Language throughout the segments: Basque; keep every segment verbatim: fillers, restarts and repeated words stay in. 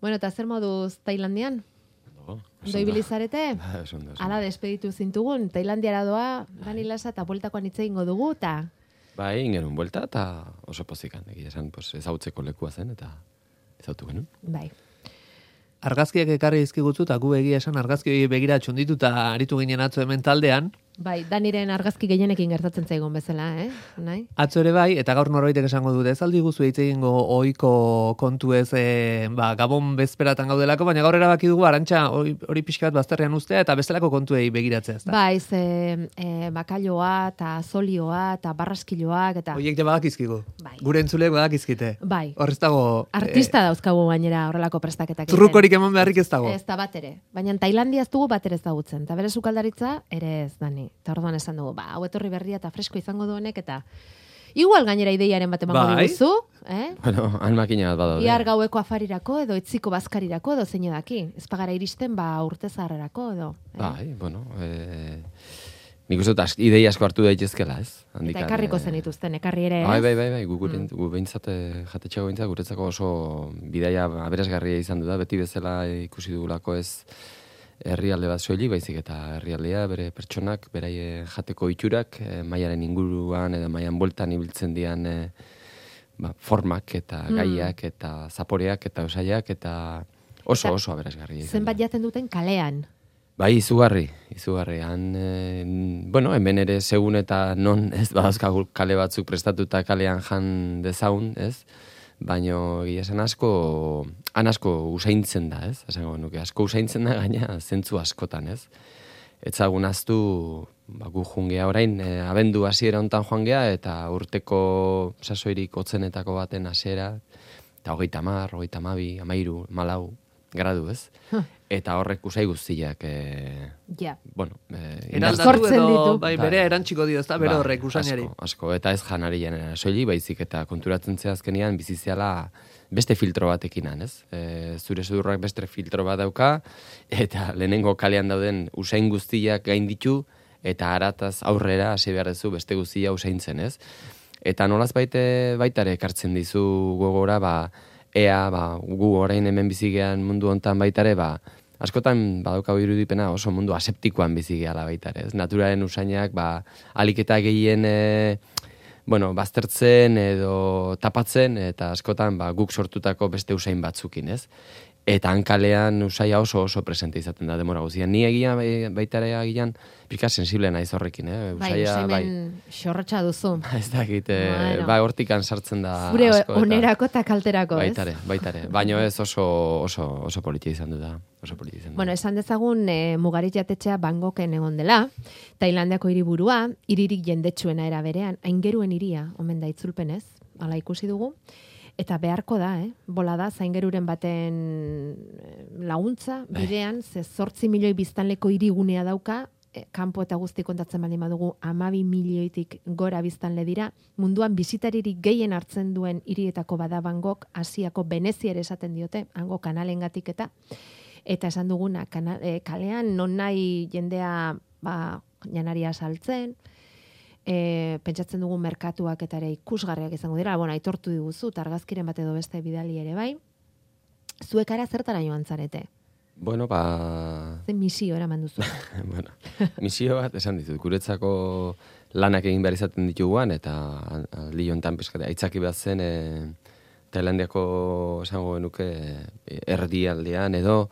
Bueno, eta zer moduz Tailandian? No, Ondo ibili zarete? Hala despeditu zintugun, Tailandiara doa, Dani Lasa eta bueltakoan hitz egingo dugu, eta... Bai, ingenun buelta, eta oso pozikan, egia esan, pues, ezautzeko lekua zen, eta ezautu genuen. Bai. Argazkiak ekarri dizkigutzu, eta gu egia esan argazki begira txunditu eta aritu ginen atzo hemen taldean. Bai, Daniren argazki gehienekin gertatzen zaigun bezala, eh? Nahi? Atzo ere bai, eta gaur norbaitek esango dute, ez aldi guzu hitz egingo ohiko kontu ez, e, ba, Gabon bezperatan gaudelako, baina gaur erabaki dugu Arantxa hori, hori pixka bat bazterrean ustea eta bestelako kontuei begiratzea, ezta? Bai, ze e, bakailoa eta zolioa eta barraskiloak eta... Hoiek ja badakizkigu. Bai. Gure entzuleek badakizkite. Bai. Hor ez dago... Artista e, dauzkagu gainera horrelako prestaketak. Trukorik eman beharrik ez dago. Ez da bat ere. Baina Tailandia ez dugu bat ere ezagutzen. Eta bere sukaldaritza ere ez, Dani. Eta orduan esan dugu, ba, hau etorri berria eta fresko izango duenek eta igual gainera ideiaren bat emango bai. diguzu, eh? Bueno, han makina bat badaude. Iar gaueko afarirako edo etziko bazkarirako edo zein edaki. Ez pagara iristen, ba, urte zaharrerako edo. Eh? Bai, bueno, eh, nik uste dut idei asko hartu daitezkela, ez? Eta ekarriko zen dituzten, ekarri ere, ez? Bai, bai, bai, bai, gu, gure, mm. gu behintzat, jatetxeago behintzat, guretzako oso bidaia aberasgarria izan du da, beti bezala ikusi dugulako ez herrialde bat soilik, baizik eta herrialdea, bere pertsonak, beraie jateko itxurak, e, maiaren inguruan edo maian bueltan ibiltzen dian e, ba, formak eta mm. gaiak eta zaporeak eta osaiak eta oso eta oso aberasgarria. Zenbat jaten duten kalean? Bai, izugarri, izugarri. Han, e, bueno, hemen ere segun eta non ez badauzkagu kale batzuk prestatuta kalean jan dezaun, ez? Baino egia esan asko, han asko usaintzen da, ez? Esango nuke, asko usaintzen da gaina zentzu askotan, ez? Etzagun aztu, ba, gu jungea orain, e, abendu hasiera hontan joan gea, eta urteko sasoirik hotzenetako baten hasiera, eta hogeita hamar, hogeita hamabi, hamairu, malau, gradu, ez? Huh. Eta horrek usai guztiak, e, ja. bueno, e, eraldatu edo bai, bere erantxiko dio, ez da, bere horrek usainari. Asko, asko, eta ez janari janera soili, baizik eta konturatzen zea azkenean biziziala beste filtro batekin, ez? E, zure sudurrak beste filtro bat dauka, eta lehenengo kalean dauden usain guztiak gain ditu, eta harataz aurrera hasi behar duzu beste guztia usaintzen, ez? Eta nolaz baite, baitare ekartzen dizu gogora, ba, ea, ba, gu orain hemen bizigean mundu hontan baitare, ba, askotan badaukagu irudipena oso mundu aseptikoan bizigeala baitare, ez? Naturaren usainak, ba, aliketa gehien, e, bueno, baztertzen edo tapatzen, eta askotan, ba, guk sortutako beste usain batzukin, ez? Eta hankalean usaia oso oso presente izaten da demora guztian. Ni egia baitare agian pika sensible naiz horrekin, eh? Usaia, bai, bai. Xorrotxa duzu. Ez dakit, bueno. Ba, hortikan sartzen da zure asko. Zure onerako eta kalterako, ez? Baitare, baitare. Baina ez oso, oso, oso politia izan du da. Oso politia izan du. Bueno, esan dezagun e, Mugarit jatetxea Bangkoken egon dela, Tailandiako hiriburua, hiririk jendetsuena era berean, aingeruen hiria, omen da itzulpenez, hala ikusi dugu. Eta beharko da, eh? Bola da, zaingeruren baten laguntza, bidean, ze zortzi milioi biztanleko hirigunea dauka, eh, kanpo eta guzti kontatzen baldin badugu, amabi milioitik gora biztanle dira, munduan bizitaririk gehien hartzen duen hirietako bada Bangkok, Asiako Venezia ere esaten diote, hango kanalengatik eta, eta esan duguna, kana, eh, kalean non nahi jendea ba, janaria saltzen, E, pentsatzen dugu merkatuak eta ere ikusgarriak izango dira, bueno, aitortu diguzu, argazkiren bat edo beste bidali ere bai. Zuekara zertara joan zarete? Bueno, ba... Zen misio eraman duzu. bueno, misio bat esan ditut, guretzako lanak egin behar izaten dituguan, eta aldi jontan pizkate, aitzaki bat zen, e, Tailandiako esango genuke erdialdean edo,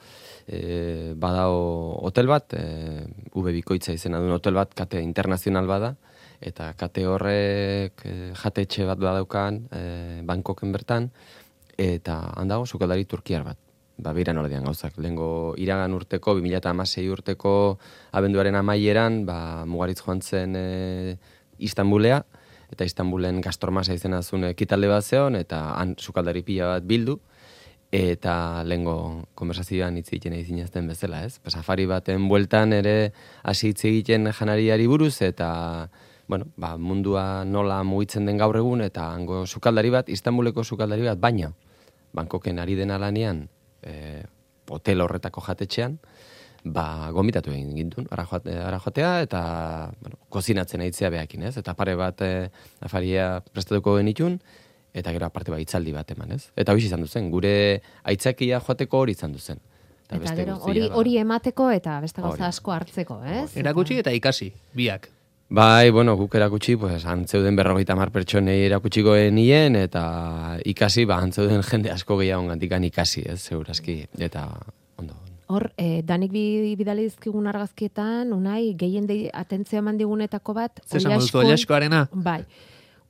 e, badao hotel bat, e, ube bikoitza izena duen hotel bat, kate internazional bada, eta kate horrek e, jatetxe bat badaukan e, Bangkoken bertan, eta handago sukaldari turkiar bat. Ba, beira nordean gauzak. Lehengo iragan urteko, bi mila hamasei urteko abenduaren amaieran, ba, Mugaritz joan zen e, Istanbulea, eta Istanbulen Gastormasa izena zuen ekitalde bat zeon, eta han sukaldari pila bat bildu, eta lehengo konversazioan hitz egiten izinazten bezala, ez? Safari baten bueltan ere hasi hitz egiten janariari buruz, eta bueno, ba, mundua nola mugitzen den gaur egun, eta hango sukaldari bat, Istanbuleko sukaldari bat, baina Bangkoken ari den alanean, e, hotel horretako jatetxean, ba, gomitatu egin gintun, ara, joate, ara joatea, eta bueno, kozinatzen aitzea behakin, ez? Eta pare bat e, afaria prestatuko genitun, eta gero aparte ba hitzaldi bat eman, ez? Eta hori izan duzen, gure aitzakia joateko hori izan duzen. Eta, eta gero hori hori emateko eta beste gauza asko hartzeko, ez? Erakutsi eta ikasi, biak. Bai, bueno, guk erakutsi, pues, antzeuden berrogeita mar pertsonei erakutsiko nien, eta ikasi, ba, antzeuden jende asko gehiago gantikan ikasi, ez, segurazki, eta ondo. Hor, eh, danik bi, bidali dizkigun argazkietan, unai, gehien de atentzio eman digunetako bat, Zesan duzu, Oilaskoarena? Bai,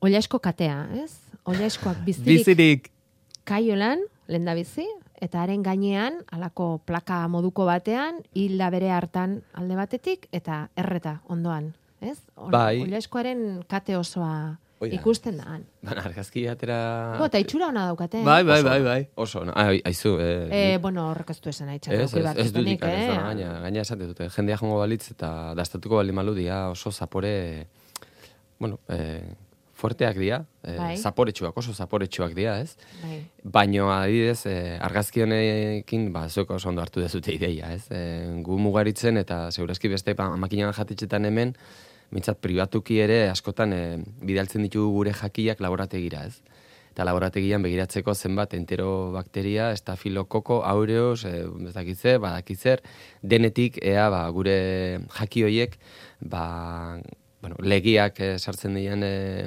Oilasko katea, ez? Oilaskoak bizirik, bizirik. Kaiolan, lenda bizi, eta haren gainean, alako plaka moduko batean, hilda bere hartan alde batetik, eta erreta ondoan. Ez? Bai. Oilaskoaren kate osoa Oida. ikusten da. Baina, argazki atera... Bo, eta itxura hona daukate. Bai, bai, Oso, bai, bai. Oso, no, ah, aizu, eh, Eh, bueno, horrek ez du esan nahi Ez, ez, ez dut ikan, ez da, eh? gaina, gaina esate dute. Jendea jongo balitz eta dastatuko bali maludia oso zapore, bueno, eh, fuerteak dira, eh, Bai. zaporetsuak, oso zaporetsuak dira, ez? Bai. Baino, adibidez, eh, argazki honekin, ba, zueko oso ondo hartu dezute ideia, ez? Eh, gu mugaritzen eta segurazki beste ba, makinan jatitzetan hemen, mintzat pribatuki ere askotan eh, bidaltzen ditugu gure jakiak laborategira, ez? Eta laborategian begiratzeko zenbat enterobakteria, estafilokoko, aureus, e, ez dakitzer, badakitzer, denetik ea ba, gure jaki hoiek ba, bueno, legiak e, sartzen dian, e,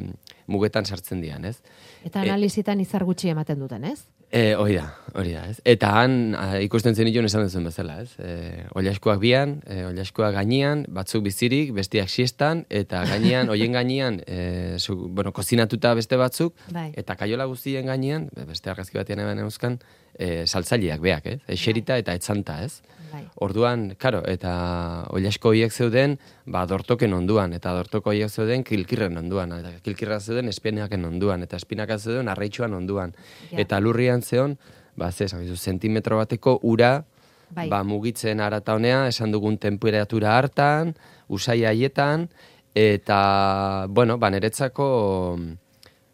mugetan sartzen dian, ez? Eta analizitan izar gutxi ematen duten, ez? E, hori da, hori da, ez? Eta han a, ikusten zenituen esan duzuen bezala, ez? E, Oilaskoak bian, e, Oilaskoak gainean, batzuk bizirik, bestiak siestan, eta gainean, hoien gainean, e, zu, bueno, kozinatuta beste batzuk, Bai. eta kaiola guztien gainean, beste argazki batean eban euskan, e, saltzaileak beak, ez? Eserita eta etzanta, ez? Bai. Orduan, karo, eta Oilasko hoiek zeuden, ba, dortoken onduan, eta dortoko hoiek zeuden kilkirren onduan, eta kilkirra zeuden espinaken onduan, eta espinaka zeuden arraitxuan onduan. Ja. Eta lurrian zeon, ba, ze, esan, zentimetro bateko ura, Bai. ba, mugitzen arata honea, esan dugun temperatura hartan, usai haietan, eta, bueno, ba, niretzako,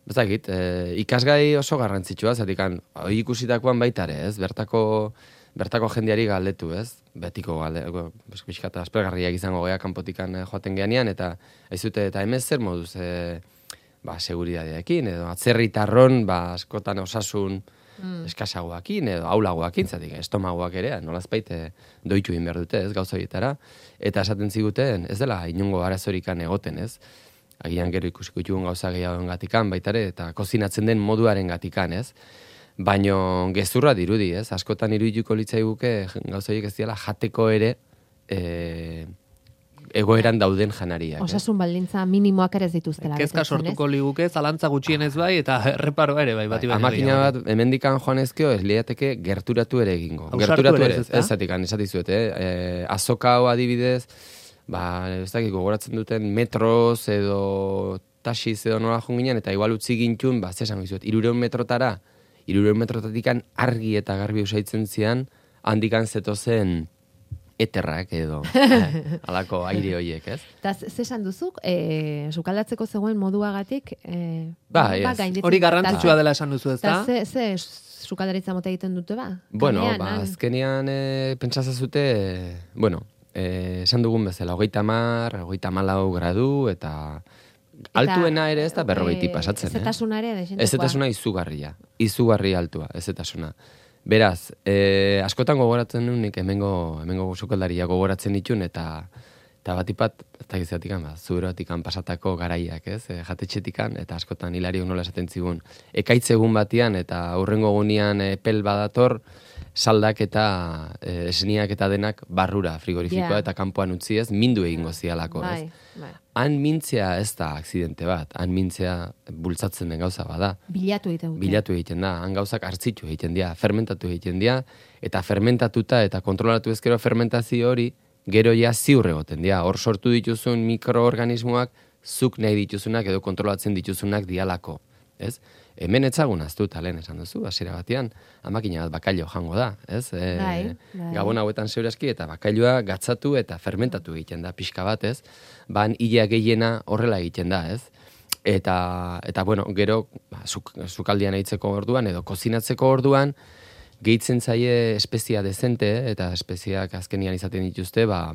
bezakit, e, ikasgai oso garrantzitsua, zatikan, hori ikusitakoan baita ere, ez, bertako, bertako jendeari galdetu, ez, betiko galdetu, bizkata aspergarriak izango gea kanpotikan joaten geanean, eta ez dute, eta hemen zer moduz, e, ba, seguridadeekin, edo atzerritarron, ba, askotan osasun, Mm. eskasagoakin edo aulagoakin, zatik estomagoak ere, nolazpait doitu egin behar dute, ez, gauza horietara, eta esaten ziguten, ez dela inongo arazorikan egoten, ez, agian gero ikusiko ditugun gauza gehiagoen gatikan, baitare, eta kozinatzen den moduaren gatikan, ez, baino gezurra dirudi, ez, askotan irudituko litzaiguke gauza horiek ez diala jateko ere, e, egoeran dauden janariak. Osasun baldintza minimoak ere ez dituztela. Kezka sortuko liguke, zalantza gutxienez bai, eta erreparoa ere bai, bati bai, amakina bat, hemendikan joan ezkeo, ez liateke gerturatu ere egingo. Ausartu Gerturatu ere ere, ez, ez, ez zatikan, esatizuet, eh? E, azoka hau adibidez, ba, ez dakik, gogoratzen duten metroz edo taxiz edo nola junginan, eta igual utzi gintun, ba, zesan gizuet, irureun metrotara, irureun metrotatikan argi eta garbi usaitzen zian, handikan zetozen eterrak edo halako aire hoiek, ez? Eta zesan duzuk, e, sukaldatzeko zegoen moduagatik, e, Ba, ba, ez. gainditzen- Hori garrantzitsua eta- dela esan duzu, ez da? Eta ze, ze sukaldaritza mota egiten dute ba? Bueno, Kalean, ba, han. azkenean e, pentsazazute, bueno, e, esan dugun bezala, hogeita mar, hogeita malau gradu, eta altuena ere ez da berrogeiti pasatzen, eh? Ezetasuna ere, desentekoa. Ezetasuna izugarria, izugarri altua, ezetasuna. Beraz, eh, askotan gogoratzen duen nik hemengo, hemengo sukaldaria gogoratzen ditun, eta eta batipat, ez da gizatikan, ba, zuberoatikan pasatako garaiak, ez, e, jatetxetikan, eta askotan hilariok nola esaten zigun. Ekaitz egun batian, eta aurrengo gunean epel badator, saldak eta e, esniak eta denak barrura frigorifikoa Ja. eta kanpoan utzi ez, mindu egingo zialako, ez. Bai, bai. Han mintzea ez da akzidente bat, han mintzea bultzatzen den gauza bada. Bilatu egiten dute. Bilatu egiten da, han gauzak hartzitu egiten dira, fermentatu egiten dira, eta fermentatuta eta kontrolatu ezkero fermentazio hori, gero ja ziur egoten dira. Hor sortu dituzun mikroorganismoak, zuk nahi dituzunak edo kontrolatzen dituzunak dialako, ez? Hemen etzagun aztu talen esan duzu, hasiera batean, amakina bat bakailo jango da, ez? E, Bai, bai. Gabon hauetan zeurazki eta bakailoa gatzatu eta fermentatu egiten da pixka bat, ez? Ban hilea gehiena horrela egiten da, ez? Eta, eta bueno, gero, ba, zuk, zukaldian eitzeko orduan edo kozinatzeko orduan, gehitzen zaie espezia dezente, eta espeziak azkenian izaten dituzte, ba,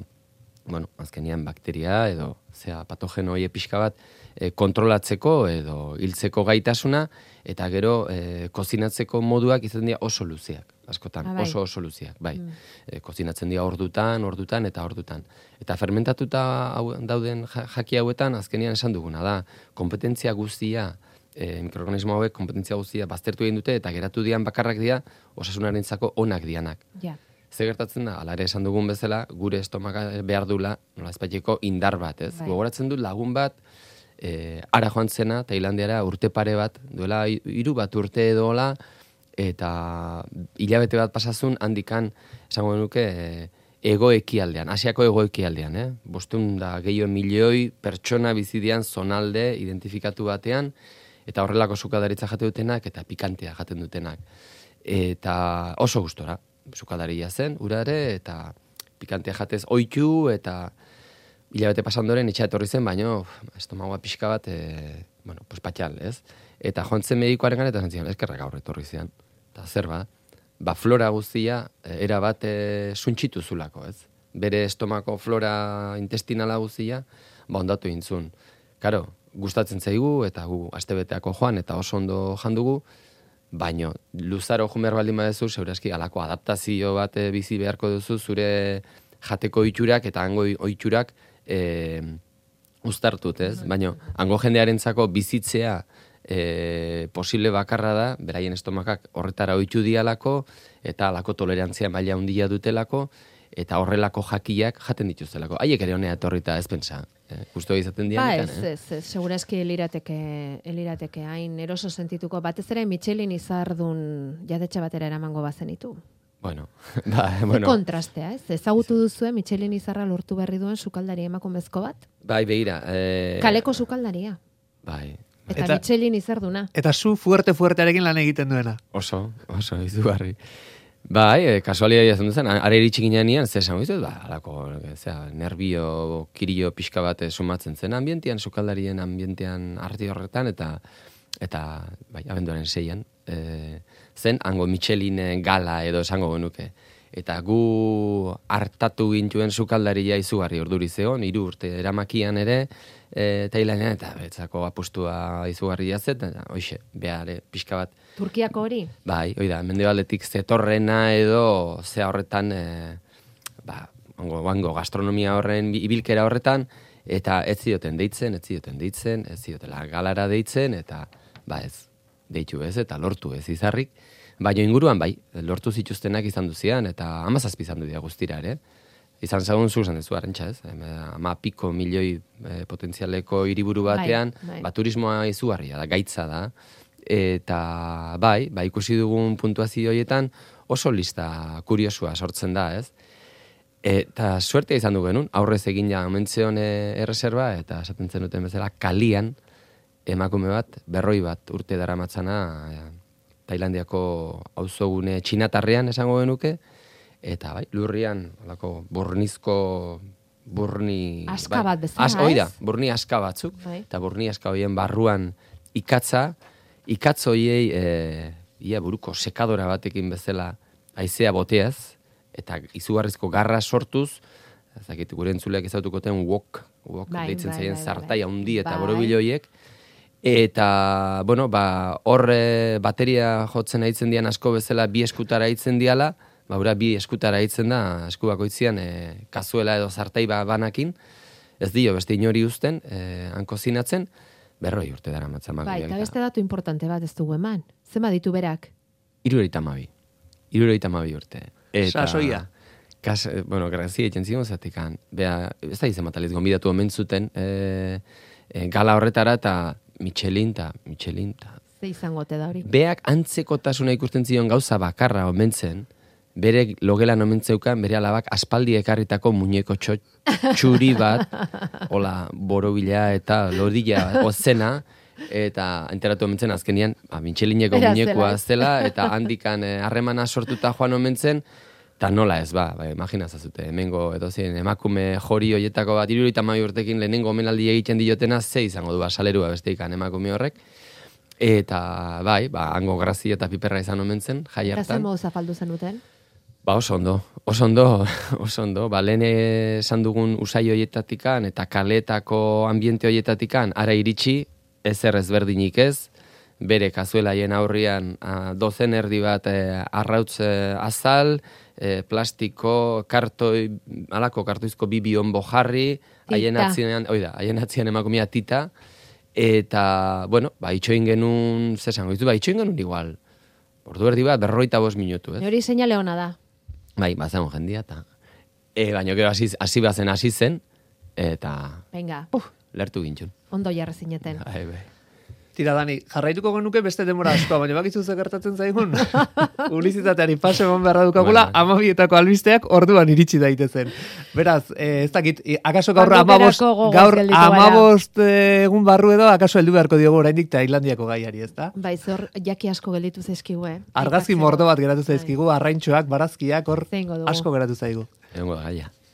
bueno, azkenean bakteria edo, zera, patogeno hori pixka bat, e, kontrolatzeko edo hiltzeko gaitasuna, eta gero e, kozinatzeko moduak izan dira oso luzeak, askotan, ah, bai. oso oso luzeak, bai. Mm. E, kozinatzen dira ordutan, ordutan eta ordutan. Eta fermentatuta hau, dauden jaki hauetan, azkenean esan duguna da, kompetentzia guztia, e, mikroorganismo hauek kompetentzia guztia baztertu egin dute, eta geratu dian bakarrak dira, osasunarentzako onak dianak. Ja. Ze gertatzen da, ala ere esan dugun bezala, gure estomaka behar dula, nola ezpaiteko indar bat, ez? Bai. Gogoratzen du lagun bat, e, ara joan zena, Tailandiara urte pare bat, duela hiru bat urte edola, eta hilabete bat pasazun handikan, esango nuke, e, ego ekialdean, Asiako ego ekialdean, eh? Bostun da gehiago milioi pertsona bizidian zonalde identifikatu batean, eta horrelako sukadaritza jate dutenak, eta pikantea jaten dutenak. Eta oso gustora. Sukadaria zen, urare, eta pikantea jatez oitu, eta hilabete pasandoren itxa etorri zen, baino estomagoa pixka bat, e, bueno, pues patxal, ez? Eta joan zen medikoaren gara, eta zentzion, eskerrak gaur etorri zian. Eta zer ba, ba flora guztia, era bat e, suntxitu zulako, ez? Bere estomako flora intestinala guztia, ba ondatu intzun. Karo, gustatzen zaigu, eta gu astebeteako joan, eta oso ondo jandugu, baino, luzaro jumer baldin badezu, segurazki alako adaptazio bat bizi beharko duzu, zure jateko oiturak eta hango oiturak e, uztartut, ez? Baino, hango jendearentzako bizitzea e, posible bakarra da, beraien estomakak horretara oitu dialako, eta alako tolerantzia maila handia dutelako, eta horrelako jakiak jaten dituztelako. Haiek ere honea etorrita ez pentsa. Eh, Justo izaten dian. Ba, ez, ez, ez, segurazki elirateke, elirateke hain eroso sentituko, batez ere Michelin izardun jadetxe batera eramango bazenitu. Bueno, ba, bueno. Kontrastea, ez? Ezagutu duzue Michelin izarra lortu berri duen sukaldari emakumezko bat? Bai, begira. Eh, Kaleko sukaldaria. Bai. Eta, Eta- Michelin izarduna. Eta zu fuerte fuertearekin lan egiten duena. Oso, oso, izugarri. Bai, e, kasualia jazen duzen, ara iritsi ginean, zer esan guztiot, ba, alako, zera, nervio, kirio pixka bat sumatzen zen ambientean, sukaldarien ambientean arti horretan, eta, eta bai, abenduaren seian, e, zen, hango Michelin gala edo esango genuke. Eta gu hartatu gintuen sukaldaria izugarri orduri zegon, hiru urte eramakian ere, e, Tailandian, eta betzako apustua izugarria zet, eta hoxe, behar, pixka bat, Turkiako hori? bai, hoi da, mendebaletik zetorrena edo zea horretan, e, ba, ongo, ongo gastronomia horren ibilkera horretan, eta ez zioten deitzen, ez zioten deitzen, ez ziotela galara deitzen, eta ba ez, deitu ez, eta lortu ez izarrik. Baina inguruan bai, lortu zituztenak izan duzian, eta amazazpi izan du dira guztira ere. Izan zagun zuzan dezu, arrentxa ez, ama piko milioi e, potentzialeko hiriburu batean, Bai, bai. ba, turismoa izugarria da, gaitza da, eta bai, ba, ikusi dugun puntuazio horietan oso lista kuriosua sortzen da, ez? Eta suertea izan du genuen, aurrez egin ja omentzeon e, erreserba, eta esaten zenuten bezala, kalian emakume bat, berroi bat urte daramatzana e, Tailandiako auzogune txinatarrean esango genuke, eta bai, lurrian, olako, burnizko, burni... Aska bai, bat bezala, as, oida, ez? burni aska batzuk, Bai. eta burni aska horien barruan ikatza, ikatz horiei, e, ia buruko sekadora batekin bezala haizea boteaz, eta izugarrizko garra sortuz, ezakit gure entzuleak ezautukoten wok, wok Bai, deitzen bai, zaien bai, bai, zartai bai. handi eta Bai. borobil horiek, eta, bueno, ba, horre bateria jotzen aitzen dian asko bezala bi eskutara aitzen diala, ba, ura bi eskutara aitzen da, esku bakoitzian e, kazuela edo zartai ba, banakin, ez dio beste inori uzten, e, hanko zinatzen, berroi urte dara matzan. Bai, eta beste datu importante bat ez dugu eman. Zema ditu berak? Irureita mabi. Irureita mabi urte. Eta, Sasoia. Kas, eh, bueno, grazia egiten zigun zatekan. Bea, ez da izan mataliz, gombidatu omen zuten e, e, gala horretara eta Michelin ta, Michelin ta. Ze izango te da hori? Beak antzekotasuna ikusten zion gauza bakarra omentzen, bere logelan omentzeukan, bere alabak aspaldi ekarritako muñeko txo, txuri bat, hola, borobila eta lodila ozena, eta enteratu omentzen azkenian, ba, Michelineko Bera muñekoa zela. zela, eta handikan eh, harremana sortuta joan omentzen, eta nola ez, ba, ba imaginazazute, hemengo edo zien, emakume jori hoietako bat, irurogeita hamabi urtekin lehenengo omenaldi egiten diotena, ze izango du, ba, salerua besteikan emakume horrek, eta bai, ba, hango grazia eta piperra izan omentzen, jai Eta hartan. zen modu zapaldu zenuten? Ba oso ondo, Oso ondo, oso ondo. Ba, lehen esan dugun usai hoietatikan eta kaletako ambiente hoietatikan ara iritsi, ezer ezberdinik ez, bere kazuelaien aurrian a, dozen erdi bat e, arrautz e, azal, e, plastiko, kartoi, alako kartoizko bi bionbo jarri, haien atzinean, oida, haien atzinean emakumea tita, eta, bueno, ba, itxoin genuen, zesango, ba, itxoin genuen igual, ordu erdi bat, berroita bost minutu, ez? Hori seinale ona da. Bai, bazen jendia, eta e, baina gero hasi, hasi bazen hasi zen, eta Venga, lertu gintxun. ondo jarra zineten. Bai, bai. Tira, Dani, jarraituko genuke beste demora askoa, baina bakizu ze gertatzen zaigun. Publizitateari paso eman beharra dukagula, Bueno. amabietako albisteak orduan iritsi daitezen. Beraz, eh, ez dakit, i- akaso gaur Ordu amabost, berako gogoz gaur gelditu gara. amabost eh, egun barru edo, akaso heldu beharko diogu oraindik Tailandiako gaiari, ez da? Bai, zor jaki asko gelditu zaizkigu, eh? Argazki Aipatzeko. mordo bat geratu Bai. zaizkigu, arraintxoak, barazkiak, hor Zeingo dugu. asko geratu zaigu. Egongo da gaia.